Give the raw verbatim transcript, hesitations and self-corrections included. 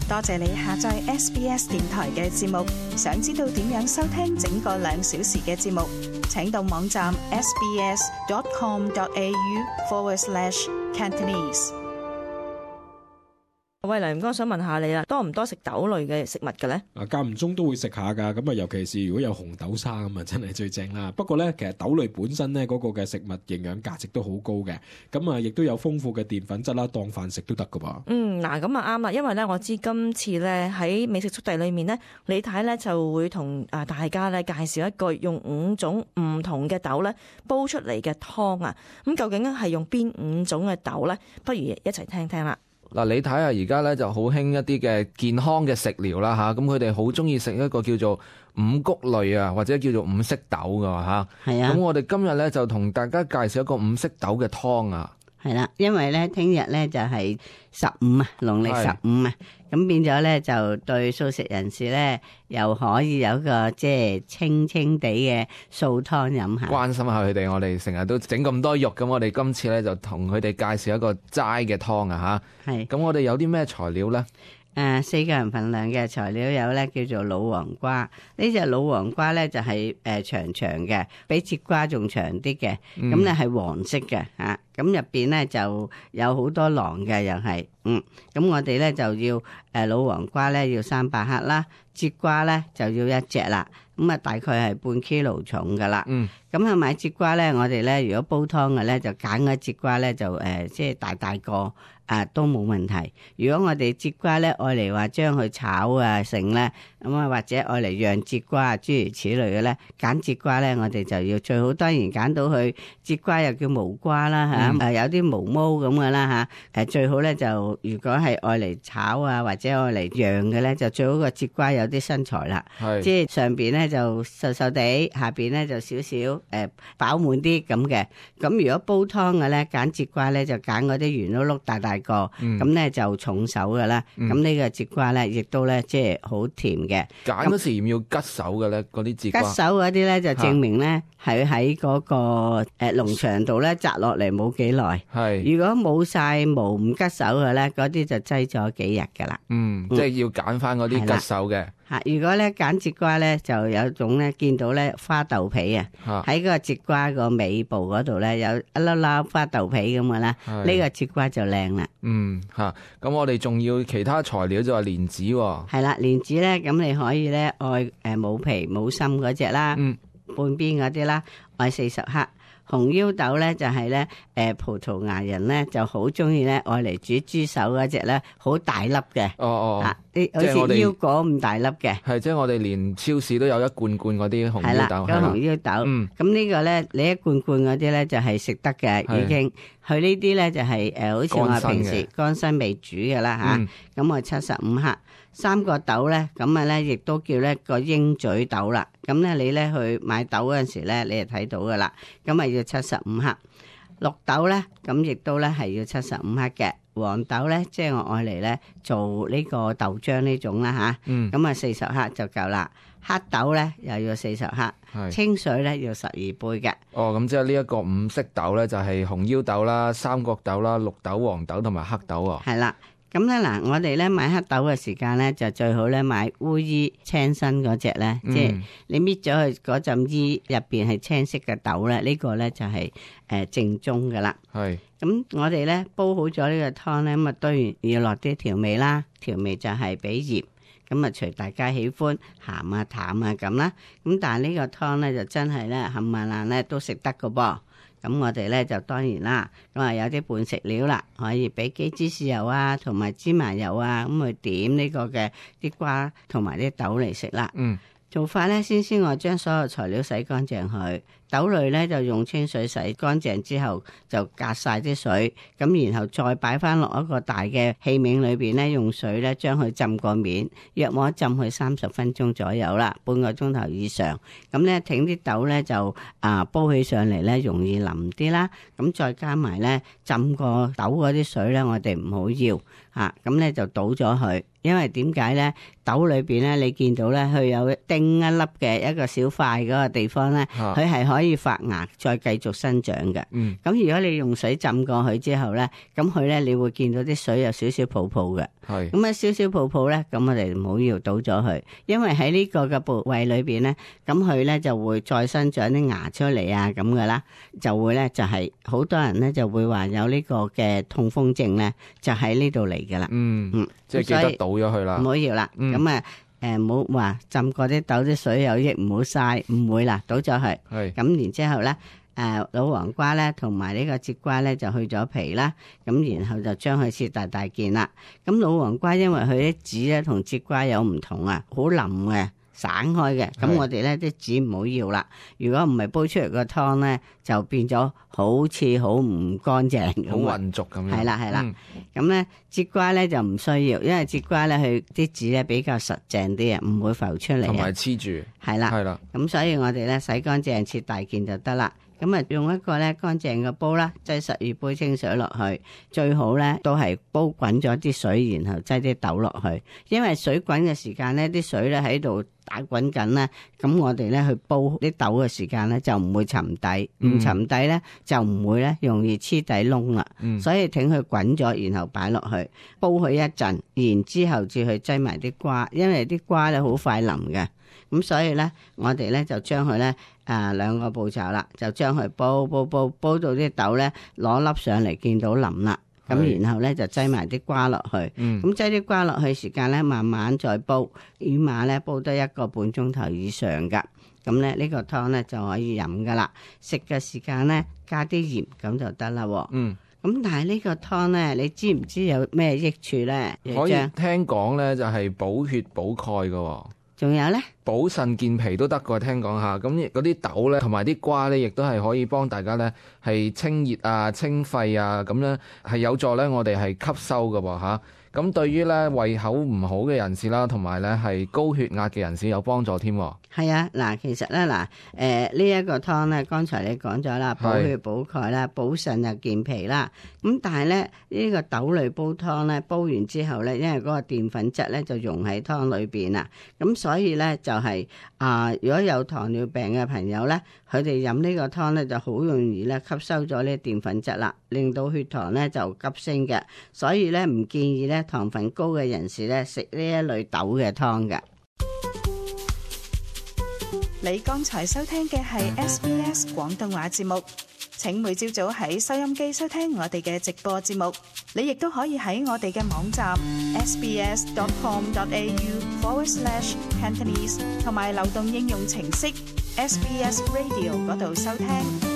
多謝你下載 S B S 電台嘅節目。想知道點樣收聽整個兩小時嘅節目，請到網站 sbs.com.au forward slash Cantonese。喂，黎唔該，想問下你啦，多唔多食豆類嘅食物嘅咧？啊，間唔中都會食下㗎，咁啊，尤其是如果有紅豆沙咁啊，真係最正啦。不過咧，其實豆類本身咧嗰個嘅食物營養價值都好高嘅，咁啊，亦都有豐富嘅澱粉質啦，當飯食都得㗎噃。嗯，嗱，咁啊啱啦，因為咧我知今次咧喺美食速遞裏面咧，李太咧就會同啊大家咧介紹一個用五種唔同嘅豆咧煲出嚟嘅湯啊。咁究竟係用邊五種嘅豆咧？不如一齊聽聽啦。嗱，你睇下而家咧就好興一啲嘅健康嘅食療啦嚇，咁佢哋好中意食一個叫做五穀類啊，或者叫做五色豆㗎嚇。係啊，咁我哋今日咧就同大家介紹一個五色豆嘅湯啊。係啦，因為咧聽日咧就係十五啊，農曆十五啊，咁變咗咧就對素食人士咧又可以有個即係清清地嘅素湯飲下，關心下佢哋。我哋成日都整咁多肉，咁我哋今次咧就同佢哋介紹一個齋嘅湯啊吓。係，咁我哋有啲咩材料咧？誒、呃，四個人份量嘅材料有咧，叫做老黃瓜。呢隻老黃瓜咧就係、是、誒、呃、長長嘅，比節瓜仲長啲嘅。咁咧係黃色嘅吓，咁入邊咧就有好多囊嘅，又係嗯。咁我哋咧就要誒、呃、老黃瓜咧要三百克啦，節瓜咧就要一隻啦。咁啊大概係半 kilo 重噶啦。嗯。咁啊買節瓜咧，我哋咧如果煲湯嘅咧就揀嗰節瓜咧就誒、呃、即係大大個。啊，都冇問題。如果我哋節瓜咧，愛嚟話將佢炒啊成咧，咁啊或者愛嚟釀節瓜啊諸如此類嘅咧，揀節瓜咧，我哋就要最好當然揀到佢節瓜又叫毛瓜啦嚇，誒、嗯啊、有啲毛毛咁嘅啦嚇，誒、啊、最好咧就如果係愛嚟炒啊或者愛嚟釀嘅咧，就最好個節瓜有啲身材啦，即係上邊咧就瘦瘦地，下邊咧就少少誒飽滿啲咁嘅。咁如果煲湯嘅咧，揀節瓜咧就揀嗰啲圓碌碌大大個，咁咧、嗯、就重手噶啦。咁、嗯、呢個節瓜咧，亦都咧即係好甜嘅。揀嗰時要唔要吉手嘅咧？嗰啲節瓜。吉手嗰啲咧就證明咧係喺嗰個誒農場度咧摘落嚟冇幾耐。係。如果冇晒毛唔吉手嘅咧，嗰啲就擠咗幾日噶啦。嗯，即係要揀翻嗰啲吉手嘅。嚇！如果咧揀節瓜咧，就有種咧見到咧花豆皮啊，喺嗰個節瓜個尾部嗰度咧有一粒粒花豆皮咁嘅啦，呢個節瓜就靚啦。嗯嚇，咁我哋仲要其他材料就話蓮子喎。係啦，蓮子咧咁你可以咧愛誒冇皮冇心嗰隻啦，嗯、半邊嗰啲啦，愛四十克。紅腰豆咧就係咧，誒葡萄牙人咧就好中意咧，愛嚟煮豬手嗰隻咧，好大粒嘅。哦哦，啊啲好似腰果咁大粒嘅。係，即係我哋連超市都有一罐罐嗰啲紅腰豆。係啦，嗰紅腰豆。嗯。咁呢個咧，你一罐罐嗰啲咧就係食得嘅，已經。佢呢啲咧就係誒，好似我平時乾身未煮嘅啦嚇。咁我七十五克。三個豆咧，咁啊咧，亦都叫咧個鷹嘴豆啦。咁咧，你咧去買豆嗰陣時咧，你就睇到噶啦。咁啊要七十五克。綠豆咧，咁亦都咧係要七十五克嘅。黃豆咧，即係我愛嚟咧做呢個豆漿呢種啦吓。嗯。咁啊四十克就夠啦。黑豆咧又要四十克。係。清水咧要十二杯嘅。哦，咁即係呢一個五色豆咧，就係紅腰豆啦、三角豆啦、綠豆、黃豆同埋黑豆喎。係啦。咁咧嗱，我哋咧買黑豆嘅時間咧，就最好咧買烏衣青身嗰隻咧，嗯、即係你搣咗佢嗰陣衣入邊係青色嘅豆咧，這個、呢個咧就係、是、誒、呃、正宗噶啦。係是。咁我哋咧煲好咗呢個湯咧，咁啊當然要落啲調味啦，調味就係俾鹽，咁啊隨大家喜歡鹹啊淡啊咁啦。咁但係呢個湯咧就真係咧冚唪唥咧都食得噶噃。咁我哋咧就當然啦，咁啊有啲半食料啦，可以俾幾支豉油啊，同埋芝麻油啊，咁去點呢個嘅啲瓜同埋啲豆嚟食啦。嗯，做法咧，先先我將所有材料洗乾淨佢。豆類咧就用清水洗乾淨之後就隔晒啲水，咁然後再擺翻落一個大嘅器皿裏邊咧，用水咧將佢浸個面，約莫浸佢三十分鐘左右啦，半個鐘頭以上。咁咧挺啲豆咧就啊煲起上嚟咧容易腍啲啦。咁再加埋咧浸個豆嗰啲水咧，我哋唔好要吓，咁咧就倒咗佢。因為點解咧？豆裏邊咧，你見到咧，佢有叮一粒嘅一個小塊嗰個地方咧，佢係可可以發芽再繼續生長嘅。嗯，咁如果你用水浸過去之後咧，咁佢咧你會見到啲水有少少泡泡嘅。係咁啊，少少泡泡咧，咁我哋唔好要倒咗佢，因為喺呢個嘅部位裏邊咧，咁佢咧就會再生長啲芽出嚟啊，咁噶啦，就會咧就係、是、好多人咧就會話有呢個嘅痛風症咧，就喺呢度嚟噶啦。嗯嗯，即係記得倒咗佢啦，唔好要啦。咁啊、嗯，誒唔好話浸過啲豆啲水有益，唔好嘥，唔會啦，倒咗佢。係咁然之後咧。誒老黃瓜咧，同埋呢個節瓜咧，就去咗皮啦。咁然後就將佢切大大件啦。咁老黃瓜因為佢啲籽咧同節瓜有唔同啊，好腍嘅，散開嘅。咁我哋咧啲籽唔好要啦。如果唔係煲出嚟個湯咧，就變咗好似好唔乾淨，好混濁咁樣。係啦係啦。咁咧節瓜咧就唔需要，因為節瓜咧佢啲籽咧比較實淨啲啊，唔會浮出嚟。同埋黐住。係啦係啦。咁所以我哋咧洗乾淨切大件就得啦。咁啊，用一個咧乾淨嘅煲啦，擠十二杯清水落去，最好咧都係煲滾咗啲水，然後擠啲豆落去。因為水滾嘅時間咧，啲水咧喺度打滾緊咧，咁我哋咧去煲啲豆嘅時間咧就唔會沉底，唔、嗯、沉底咧就唔會咧容易黐底窿啦。嗯、所以等佢滾咗，然後擺落去煲佢一陣，然之後至去擠埋啲瓜，因為啲瓜咧好快腍嘅。咁所以咧，我哋咧就將佢咧啊兩個步驟啦，就將佢煲煲煲煲到啲豆咧攞粒上嚟，見到腍啦。咁是然後咧就擠埋啲瓜落去。咁擠啲瓜落去時間咧，慢慢再煲，起碼咧煲得一個半鐘頭以上噶。咁咧呢個湯咧就可以飲噶啦。食嘅時間咧加啲鹽咁就得啦。嗯。咁但係呢個湯咧，你知唔知有咩益處咧？可以聽講咧就係補血補鈣噶。仲有咧？補腎健脾都得㗎，聽講下。咁嗰啲豆咧，同埋啲瓜咧，亦都係可以幫大家咧係清熱啊、清肺啊，咁咧係有助咧我哋係吸收㗎喎嚇。咁對於咧胃口唔好嘅人士啦，同埋咧係高血壓嘅人士有幫助添。係啊，嗱，其實咧嗱，誒呢一個湯咧，剛才你講咗啦，補血補鈣啦，補腎又健脾啦。咁但係咧呢個豆類煲湯咧，煲完之後咧，因為嗰個澱粉質咧就溶喺湯裏邊啊，咁所以咧就係啊，如果有糖尿病嘅朋友咧，佢哋飲呢個湯咧就好容易咧吸收咗呢澱粉質啦，令到血糖咧就急升嘅，所以咧唔建議咧糖分高嘅人士咧食呢一類豆嘅湯嘅。你剛才收聽嘅係 S B S 廣東話節目，請每朝早喺收音機收聽我哋嘅直播節目。你亦都可以喺我哋嘅網站 sbs.com.au forward slash Cantonese 同埋流動應用程式 S B S Radio 嗰度收聽。